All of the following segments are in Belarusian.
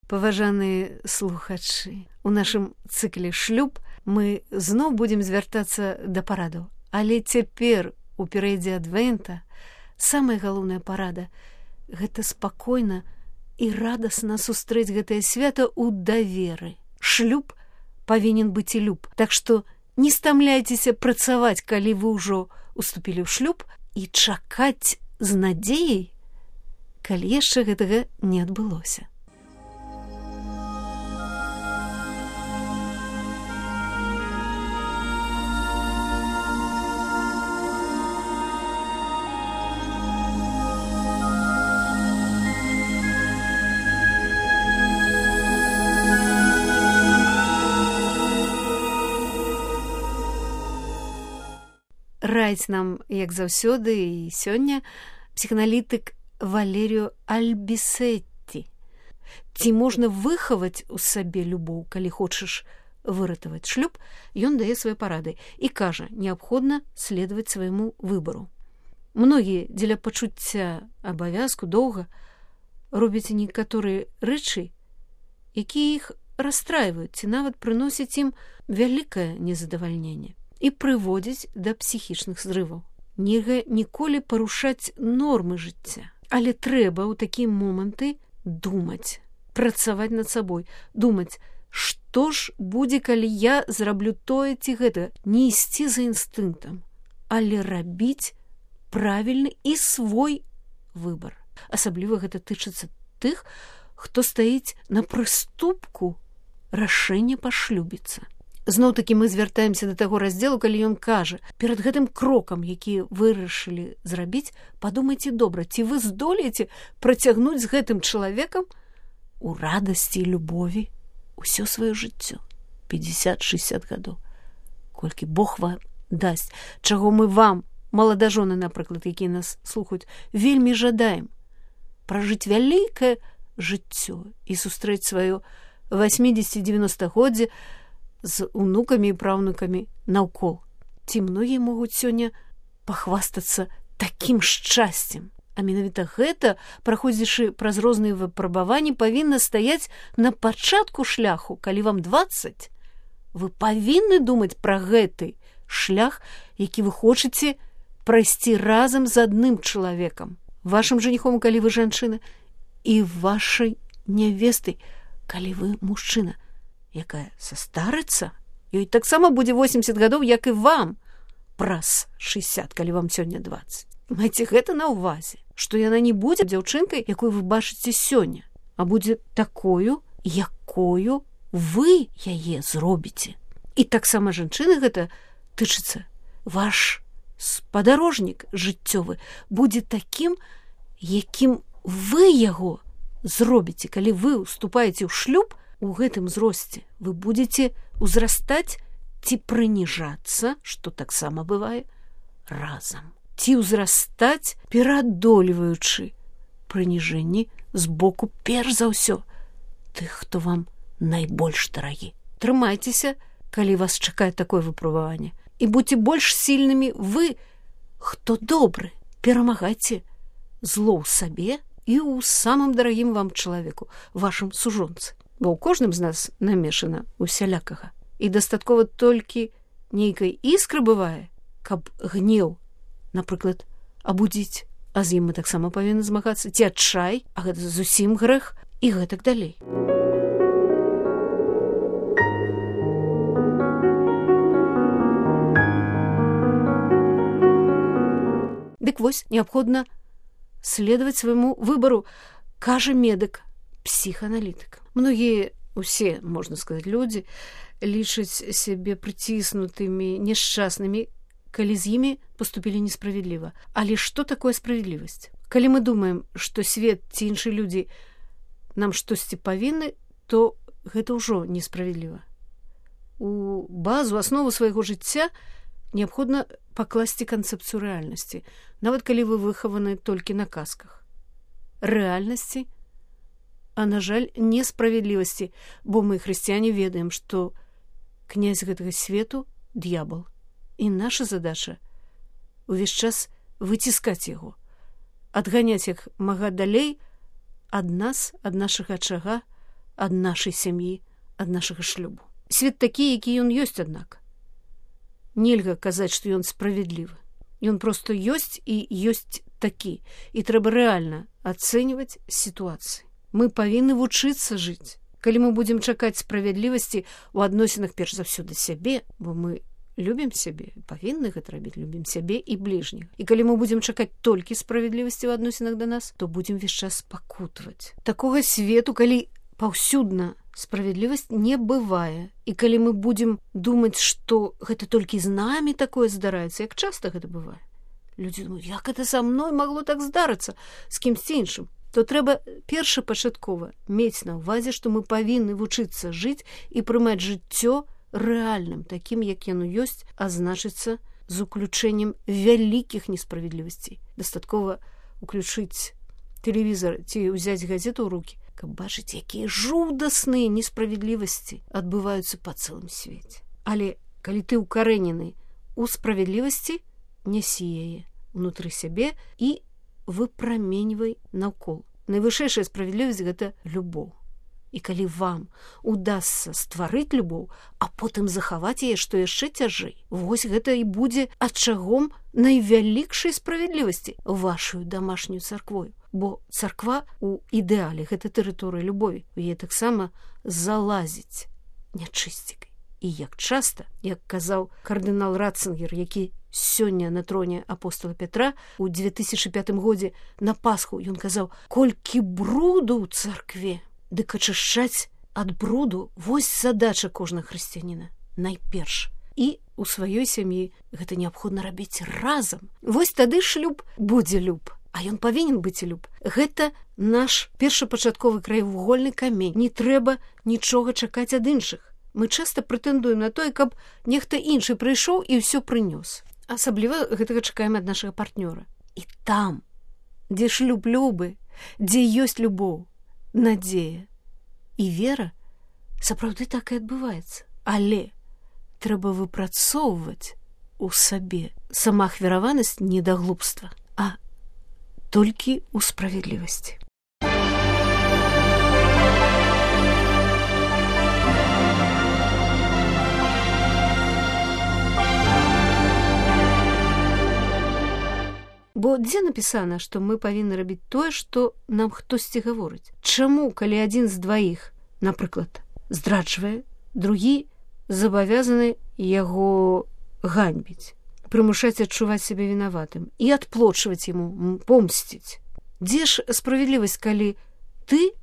Паважаныя слухачы, у нашым цыкле шлюб мы зноў будзем звяртацца да парадаў. Але цяпер у перыядзе адвента самая галоўная парада – гэта спакойна і радасна сустрэць гэтае свята ў даверы. Шлюб павінен быць і люб. Так што не стамляйцеся працаваць, калі вы ўжо уступілі ў шлюб, і чакаць з надзеяй, калі яшчэ гэтага не адбылося. Раіць нам, як заўсёды і сёння, псіханалітык Валеріо Альбісетті. Ці можна выхаваць у сабе любоў, калі хочаш выратаваць шлюб, ён дае свае парады і кажа, неабходна следаваць свайму выбару. Многія дзеля пачуцця абавязку доўга робяць некаторыя рэчы, якія іх расстрайваюць ці нават прыносяць ім вялікае незадавальненне і прыводзіць да псіхічных зрываў. Нельга ніколі парушаць нормы жыцця, але трэба ў такія моманты думаць, працаваць над сабой, думаць, што ж будзе, калі я зраблю тое ці гэта, не ісці за інстынктам, але рабіць правільны і свой выбар. Асабліва гэта тычыцца тых, хто стаіць на прыступку рашэння пашлюбіцца. Зноў-такі мы звяртаемся да таго раздзелу, калі ён кажа, перад гэтым крокам, які вырашылі зрабіць, падумайце добра, ці вы здолееце працягнуць з гэтым чалавекам у радасці і любові ўсё сваё жыццё. 50-60 гадоў. Колькі Бог вам дасць, чаго мы вам, маладажоны, напрыклад, якія нас слухаюць, вельмі жадаем. Пражыць вялікае жыццё і сустрэць сваё 80-90-годдзе з унукамі і праўнукамі наўкол. Ці многія могуць сёння пахвастацца такім шчасцем. А менавіта гэта, праходзячы праз розныя выпрабаванні, павінна стаяць на пачатку шляху. Калі вам 20, вы павінны думаць пра гэты шлях, які вы хочаце прайсці разам з адным чалавекам. Вашым жаніхом, калі вы жанчына, і вашай нявестай, калі вы мужчына, якая састарыцца, ёй таксама будзе 80 гадоў, як і вам, праз 60, калі вам сёння 20. Майце гэта на ўвазе, што яна не будзе дзяўчынкай, якую вы бачыце сёння, а будзе такою, якою вы яе зробіце. І таксама жанчыны гэта тычыцца. Ваш спадарожнік жыццёвы будзе такім, якім вы яго зробіце. Калі вы уступаеце ў шлюб, у гэтым зросце вы будзеце ўзрастаць ці прыніжацца, што таксама бывае, разам. Ці ўзрастаць, пераадольваючы прыніжэнні з боку перш за ўсё тых, хто вам найбольш дарагі. Трымайцеся, калі вас чакае такое выпрабаванне. І будьце больш сільнымі вы, хто добры. Перамагайце зло ў сабе і ў самым дарагім вам чалавеку, вашым сужонцы. Бо ў кожным з нас намешана усялякага. І дастаткова толькі нейкай іскры бывае, каб гнеў, напрыклад, абудзіць, а з ім мы таксама павінны змагацца, ці адчай, а гэта зусім грэх, і гэтак далей. Дык вось, неабходна следаваць свайму выбару, кажа медык, псіханалітык. Многія, усе, можна сказаць, людзі лічаць сябе прыціснутымі, няшчаснымі, калі з імі паступілі несправядліва. Але што такое справядлівасць? Калі мы думаем, што свет ці іншыя людзі нам штосьці павінны, то гэта ўжо несправядліва. У базу, аснову свайго жыцця неабходна пакласці канцэпцыю рэальнасці, нават калі вы выхаваны толькі на казках. Рэальнасці, а, на жаль, несправядлівасці, бо мы, хрысціяне, ведаем, што князь гэтага свету – д'ябал. І наша задача увесь час выціскаць яго, адганяць як мага далей ад нас, ад нашага ачага, ад нашай сям'і, ад нашага шлюбу. Свет такі, які ён ёсць, аднак. Нельга казаць, што ён справядлівы. Ён проста ёсць і ёсць такі. І трэба рэальна ацэньваць сітуацыі. Мы павінны вучыцца жыць. Калі мы будзем чакаць справядлівасці ў адносінах перш за ўсё да сябе, бо мы любім сябе, павінны гэта рабіць, любім сябе і бліжніх. І калі мы будзем чакаць толькі справядлівасці ў адносінах да нас, то будзем увесь час пакутваць. Такога свету, калі паўсюдна справядлівасць не бывае. І калі мы будзем думаць, што гэта толькі з намі такое здараецца, як часта гэта бывае. Людзі думаюць, як гэта са мной магло так здарыцца з кімсьці іншым? То трэба першапачаткова мець на ўвазе, што мы павінны вучыцца жыць і прымаць жыццё рэальным, такім, як яно ёсць, а значыцца з уключэннем вялікіх несправядлівасцей. Дастаткова уключыць тэлевізор ці ўзяць газету ў рукі, каб бачыць, якія жудасныя несправядлівасці адбываюцца па цэлым свеце. Але калі ты ўкарэнены ў справядлівасці, нясі яе ўнутры сябе і выпраменьвай наўкол. Найвышэйшая справядлівасць – гэта любоў. І калі вам удасца стварыць любоў, а потым захаваць яе, што яшчэ цяжэй, вось гэта і будзе ачагом найвялікшай справядлівасці вашую дамашнюю царквою. Бо царква ў ідэале – гэта тэрыторыя любові. У яе таксама залазіць нячысцікай. І як часта, як казаў кардынал Ратцингер, які сёння на троне апостола Петра у 2005 годзе на Пасху, ён казаў, колькі бруду ў царкве, дык ачышчаць ад бруду вось задача кожнага хрысціяніна найперш. І у сваёй сям'і гэта неабходна рабіць разам. Вось тады шлюб будзе люб. А ён павінен быць люб. Гэта наш першапачатковы краевугольны камень. Не трэба нічога чакаць ад іншых. Мы часта прэтэндуем на тое, каб нехта іншы прыйшоў і ўсё прынёс. Асабліва гэтага чакаем ад нашага партнёра. І там, дзе шлюб любы, дзе ёсць любоў, надзея і вера, сапраўды так і адбываецца. Але трэба выпрацоўваць у сабе самаахвяраванасць не да глупства, а толькі ў справядлівасці. Бо дзе напісана, што мы павінны рабіць тое, што нам хтосьці гаворыць? Чаму, калі адзін з дваіх, напрыклад, здраджвае, другі забавязаны яго ганьбіць, прымушаць адчуваць сябе вінаватым і адплочваць яму, помсціць? Дзе ж справядлівасць, калі ты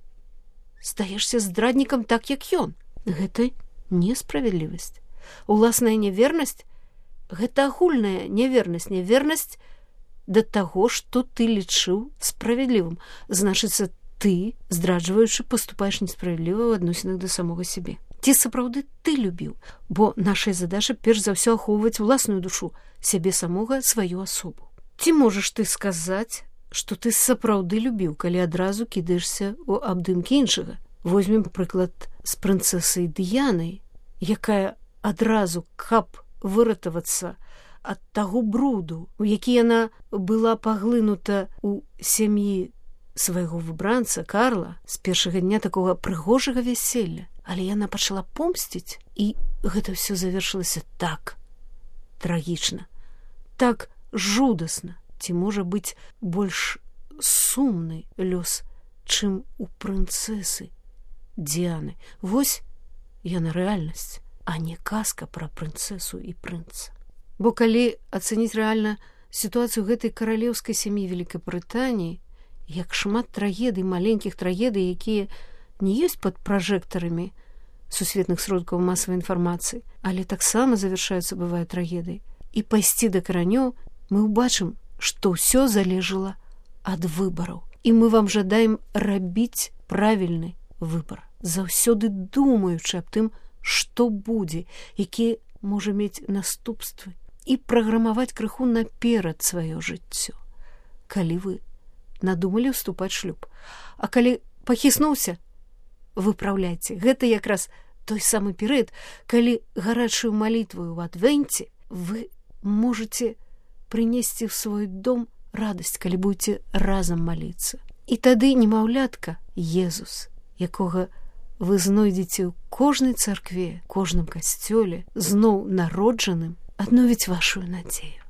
стаешся здраднікам так, як ён? Гэта несправядлівасць. Уласная невернасць – гэта агульная невернасць, невернасць да таго, што ты лічыў справядлівым. Значыцца, ты, здраджваючы, паступаеш несправядліва ў адносінах да самога сябе. Ці сапраўды ты любіў? Бо нашая задача перш за ўсё ахоўваць уласную душу, сябе самога, сваю асобу. Ці можаш ты сказаць, што ты сапраўды любіў, калі адразу кідаешся ў абдымкі іншага? Возьмем прыклад з прынцэсай Дыянай, якая адразу, каб выратавацца ад таго бруду, у які яна была паглынута ў сям'і свайго выбранца Карла з першага дня такога прыгожага вяселля. Але яна пачала помсціць, і гэта ўсё завершылася так трагічна, так жудасна. Ці можа быць больш сумны лёс, чым у прынцэсы Дыяны? Вось яна рэальнасць, а не казка пра прынцэсу і прынца. Бо калі ацэніць рэальна сітуацыю гэтай каралеўскай сям'і Вялікабрытаніі, як шмат трагедый, маленькіх трагедый, якія не ёсць пад пражэктарамі сусветных сродкаў масавай інфармацыі, але таксама завяршаюцца, бывае, трагедай. І пайсці да каранёў, мы ўбачым, што ўсё залежала ад выбараў. І мы вам жадаем рабіць правільны выбар, заўсёды думаючы аб тым, што будзе, які можа мець наступствы, і праграмаваць крыху наперад сваё жыццё, калі вы надумалі ўступаць шлюб. А калі пахіснуўся, выпраўляйце. Гэта якраз той самы перыяд, калі гарачую малітву ў адвенце вы можаце прынесці ў свой дом радасць, калі будзеце разам маліцца. І тады немаўлятка Езус, якога вы знойдзеце ў кожнай царкве, кожным касцёле, зноў народжаным, адновіць вашу надзею.